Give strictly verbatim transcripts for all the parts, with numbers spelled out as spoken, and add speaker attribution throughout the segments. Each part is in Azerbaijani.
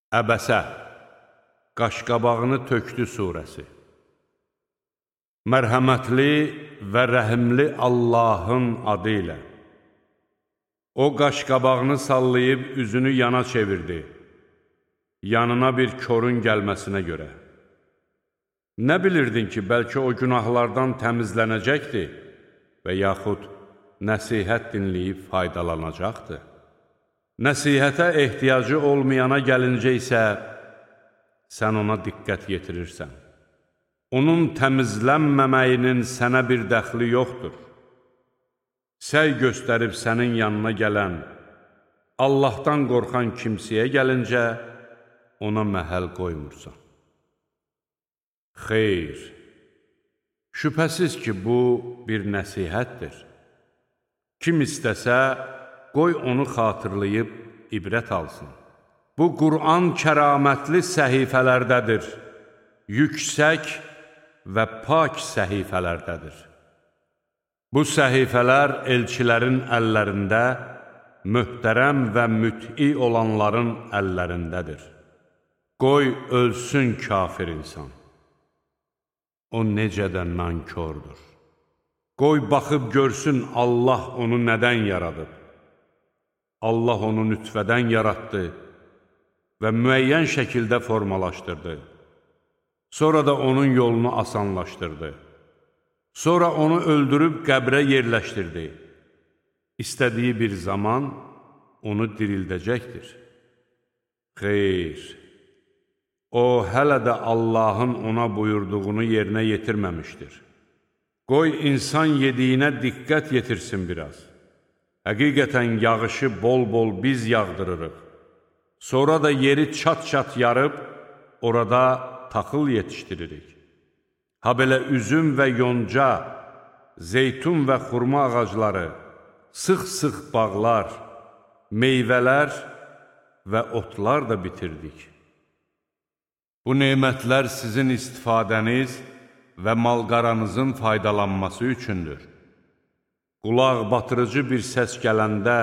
Speaker 1: Əbəsə, Qaşqabağını tökdü surəsi. Mərhəmətli və rəhimli Allahın adı ilə. O qaşqabağını sallayıb üzünü yana çevirdi, yanına bir korun gəlməsinə görə. Nə bilirdin ki, bəlkə o günahlardan təmizlənəcəkdir və yaxud nəsihət dinləyib faydalanacaqdır. Nəsihətə ehtiyacı olmayana gəlincə isə, sən ona diqqət yetirirsən. Onun təmizlənməməyinin sənə bir dəxli yoxdur. Səy göstərib sənin yanına gələn, Allahdan qorxan kimsəyə gəlincə, ona məhəl qoymursan. Xeyr, şübhəsiz ki, bu bir nəsihətdir. Kim istəsə, qoy onu xatırlayıb ibrət alsın. Bu, Qur'an kəramətli səhifələrdədir, yüksək və pak səhifələrdədir. Bu səhifələr elçilərin əllərində, möhtərəm və müt'i olanların əllərindədir. Qoy ölsün kafir insan. O necə də nankordur. Qoy baxıb görsün Allah onu nədən yaradıb. Allah onu nütfədən yaratdı və müəyyən şəkildə formalaşdırdı. Sonra da onun yolunu asanlaşdırdı. Sonra onu öldürüb qəbrə yerləşdirdi. İstədiyi bir zaman onu dirildəcəkdir. Xeyr, o hələ də Allahın ona buyurduğunu yerinə yetirməmişdir. Qoy insan yediyinə diqqət yetirsin biraz. Həqiqətən yağışı bol-bol biz yağdırırıq. Sonra da yeri çat-çat yarıb, orada taxıl yetişdiririk. Ha belə üzüm və yonca, zeytun və xurma ağacları, sıx-sıx bağlar, meyvələr və otlar da bitirdik. Bu nemətlər sizin istifadəniz və malqaranızın faydalanması üçündür. Qulaq batırıcı bir səs gələndə,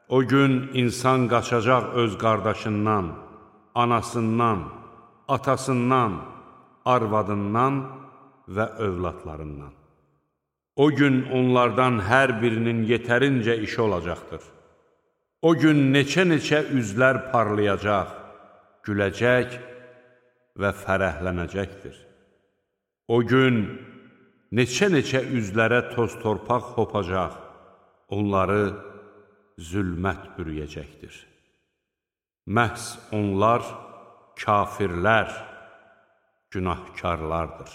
Speaker 1: o gün insan qaçacaq öz qardaşından, anasından, atasından, arvadından və övladlarından. O gün onlardan hər birinin yetərincə işi olacaqdır. O gün neçə-neçə üzlər parlayacaq, güləcək və fərəhlənəcəkdir. O gün neçə-neçə üzlərə toz-torpaq hopacaq, onları zülmət bürüyəcəkdir. Məhz onlar kafirlər, günahkarlardır.